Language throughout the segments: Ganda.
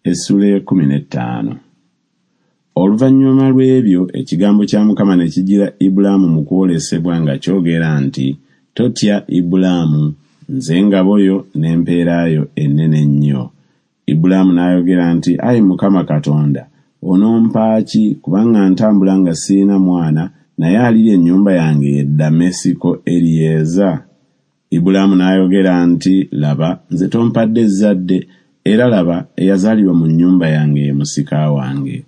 Essuula ey'ekkumi n'ettaano. Oluvannyuma lw'ebyo ekigambo kya Mukama ne kijjira Ibulaamu mu kwolesebwa nga kyogera nti Totya, Ibulaamu, nze ngabo yo n'empeera yo ennene ennyo. Ibulaamu n'ayogera nti Ayi Mukama Katonda, onompa ki, kubanga ntambula nga sirina mwana, naye alirya ennyumba yange ye Dammesiko Eriyeza? Ibulaamu n'ayogera nti Laba, nze tompadde zzadde, era, laba, eyazaalirwa mu nnyumba yange ye musika wange.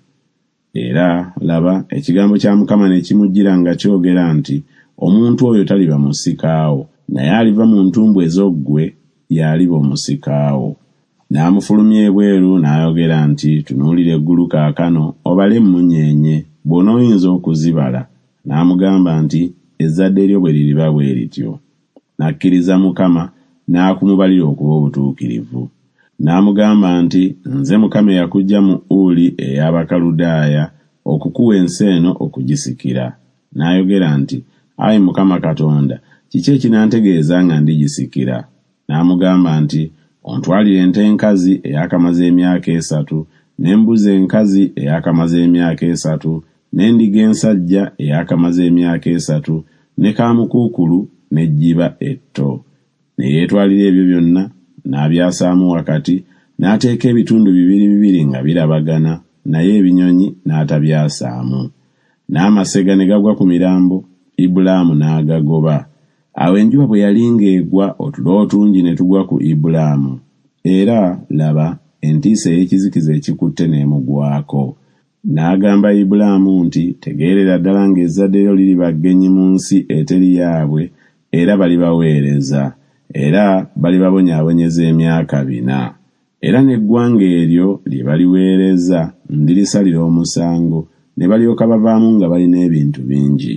Era, laba, ekigambo kya Mukama ne kimujjira nga kyogera nti Omuntu oyo taliba musika wo, naye aliva mu ntumbwe zo ggwe, y'aliba omusika wo. N'amufulumya ebweru n'ayogera nti Tunuulira eggulu kaakano, obale emmunyeenye, bw'onooyinza okuzibala. N'amugamba nti Ezzadde lyo bwe liriba bwe lityo. N'akkiriza Mukama, n'akumubalira okuba obutuukirivu. N'amugamba nti Nze Mukama eyakuggya mu Uli ey'Abakaludaaya okukuwa ensi eno okugisikira. N'ayogera nti Ayi Mukama Katonda, kiki ekinantegeeza nga ndigisikira? N'amugamba nti Ontwalire ente enkazi eyaakamaze emyaka esatu, n'embuzi enkazi eyaakamaze emyaka esatu, n'endiga ensajja eyaakamaze emyaka esatu, ne kaamukuukulu n'ejjiba etto. Ne yeetwalira ebyo byonna, n'abyasaamu wakati, n'ateeka ebitundu bibiri bibiri nga birabagana, naye ebinyonyi n'atabyasaamu. N'amasega ne gagwa ku mirambo, Ibulaamu n'agagoba. Awo enjuba bwe yali ng'egwa otulo otungi ne tugwa ku Ibulaamu, era, laba, entiisa ey'ekizikiza ekikutte n'emugwako. N'agamba Ibulaamu nti Tegeerera ddala ng'ezzadde lyo liriba ggenyi mu nsi eteri yaabwe, era balibaweereza, era balibabonyaabonyeza emyaka bina. Era n'eggwanga eryo lye baliweereza ndirisalira omusango, ne balyoka bavaamu nga balina ebintu bingi.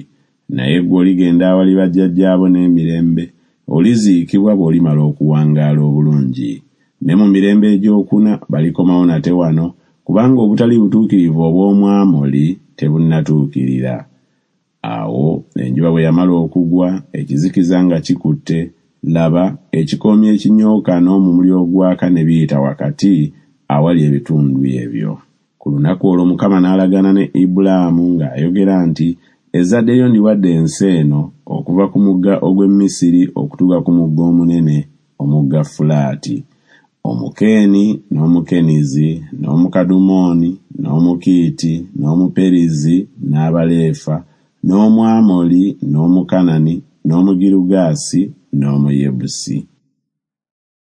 Naye ggwe oligenda awali bajjajjaabo n'emirembe, oliziikibwa bw'olimala okuwangaala obulungi. Ne mu mirembe egy'okuna balikomawo nate wano, kubanga obutali butuukirivu obw'Omwamoli tebunnatuukirira. Awo enjuba bwe yamala okugwa, ekizikiza nga kikutte, laba, ekikoomi ekinyooka n'omumuli ogwaka ne biyita wakati awali ebitundu ebyo. Ku lunaku olwo Mukama n'alagaana ne Ibulaamu ng'ayogera nti Ezzadde lyo ndiwadde ensi eno, okuva ku mugga ogw'e Misiri okutuuka ku mugga omunene, omugga Fulaati, Omukeeni, n'Omukenizi, n'Omukadumooni, n'Omukiiti, n'Omuperizi, n'Abaleefa, n'Omwamoli, n'Omukanani, n'Omugirugaasi, n'Omuyebusi.